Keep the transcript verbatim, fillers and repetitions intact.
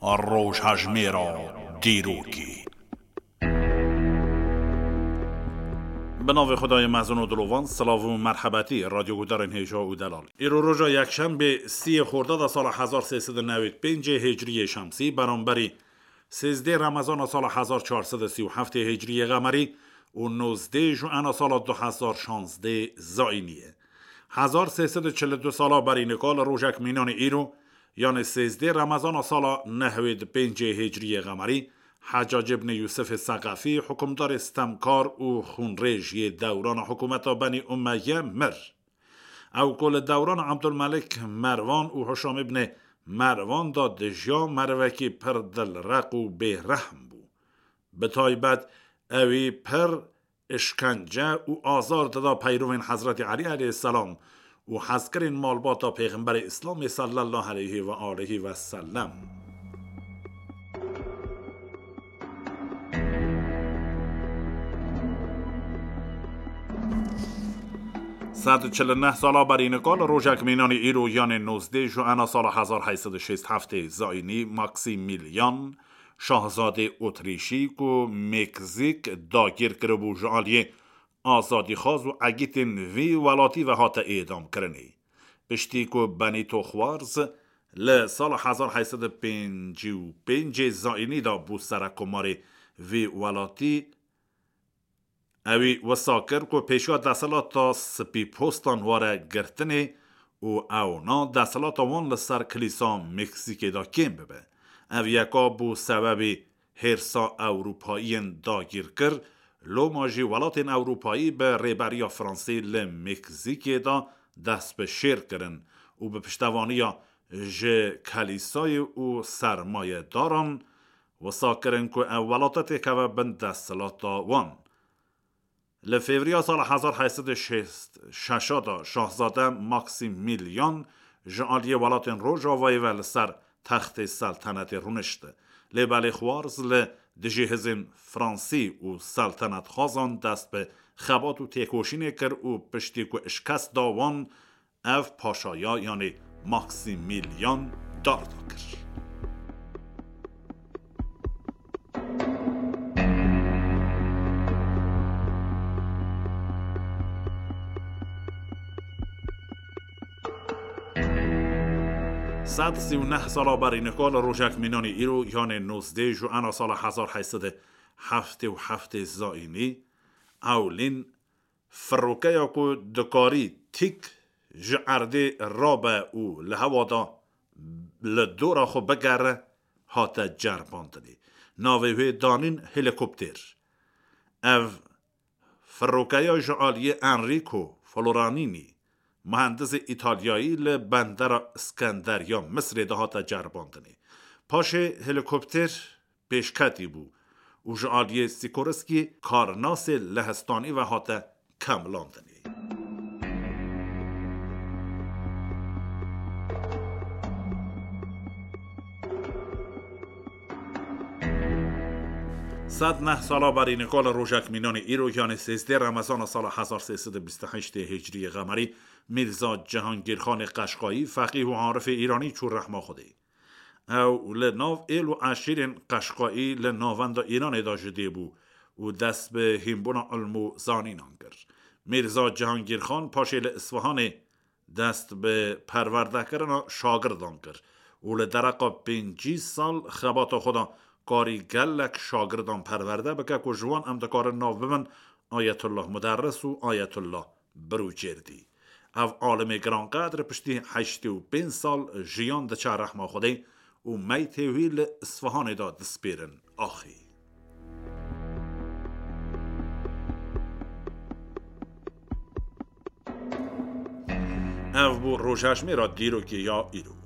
Rojhejmêra dîrokê. Bi navê Xwedayê mezin û dilovan, silav û merhebetî radyoguhdarên hêja û delal. Îro roja yekşembê sîyê Xordada sala hezar sê sed û newêd pêncê Hicriyê Şemsî, beramberî sêzdê Remezana sala hezar çar sed û sî û heftê Hicriyê Xemerî û nozdê Juena sala du hezar şazdê Zayînî ye. Hezar sê sed û çil û du sala berî nika li rojek mînanê îro, yanê sêzdê Remezana sala nehwêd pêncê Hicriyê Xemerî, Hecac ibn Yûsifê Seqefî, hukimdarê stemkar û xûnrêj yê dewrana hikûmeta Benî Umeyye mir. Ew ku li dewrana Ebdulmelik Merwan û Hişam ibnê Merwan de dijiya, merivekî pir dilreq û bêrehm bû. Bi taybet ewî pir îşkence û azar dida peyrovên Hezretî Elî aleyhisselam û hezkirên malbata Pêxemberê Îslamê sallallahu aleyhi ve aleyhi ve sellem. Sed û çil û neh sala berî nika li rojek mînanî îro, yanê nozdê Juena sala hezar heyt sed û şêst heftê Zayînî, Maksimîlyan, şahzadê Otrîşî ku Meksîk dagîr kiribû, ji aliyê azadîxwaz û egîtên vî welatî ve hate êdamkirinê. Piştî ku Benîto Xwarz li sala hezar heyt sed û pêncî û pêncê Zayînî de bû serekkomarê vî welatî, ewî wisa kir ku pêşiya desthilata spîpostan were girtinê û ewna desthilata wan li ser kilîsa Meksîkê de kêm bibe. Ev yeka bû sebebî hêrsa Ewropayiyên dagîrkir, loma jî welatên Ewropayî bi rêberiya Fransî li Meksîkê de dest bi şêr kirin û bi piştevaniya ji kelîsayê û sermayedaran wisa kirin ku ev welate têkeve bin desthilata wan. Li Fevriya sala hezar heyt sed û şêst şeş de Şahzade Maksimîlyan ji aliyê welatên Rojavayê ve li ser textê seltenetê rûnişt. Lê belê Xwarz li dijî hizên Fransî û seltenetxwazan dest bi xebat û têkoşînê kir û piştî ku şikest da wan, ev paşaya, yanî Maksimîlyan, darda kir. Sed sî û neh sala berî nika li rojek mînanî îro, yanê nozdê Juena sala hezar heyt sed û heftê û heftê Zayînî, ewlîn firokeya ku dikarî tîk ji erdê rabe û li hewa de li dora xwe bigere, hate ceribandinê. Navê wê danîn helîkopter. Ev firokeya ji aliyê Enrico Floranini, muhendisê Îtalyayî, li bendera Iskenderiya Misrê de hate ceribandinê. Paşê helîkopter pêşketî bû û ji aliyê Sikorsky karnasê lehistanî ve hate kemilandinê. Sed neh sala berî nika li rojek mînanê îro, yanê sêzdê Remezana sala hezar sê sed û bîst û heştê Hicriyê Xemerî, Mîrza Cihangîrxanê Qeşqayî, feqîh û arifê Îranî çû rehma Xwedê. Ew li nav êl û eşîrên Qeşqayî li navenda Îranê de ji dê bû û dest bi hînbûna ilm û zanînan kir. Mîrza Cihangîrxan paşê li Isfahanê dest bi perwerdekirina şagirdan kir û li dereqa pêncî sal xebata xwe de karî gelek şagirdan perwerde bike ku ji wan em dikarin nav bibin Ayetullah Muderris û Ayetullah Birûcêrdî. Ev alimê giranqedr piştî heştê û pênc sal jiyan diçe rehma Xwedê û meytê wî li Isfahanê de dispêrin axê. Ev bû rojhejmêra dîrokê ya îro.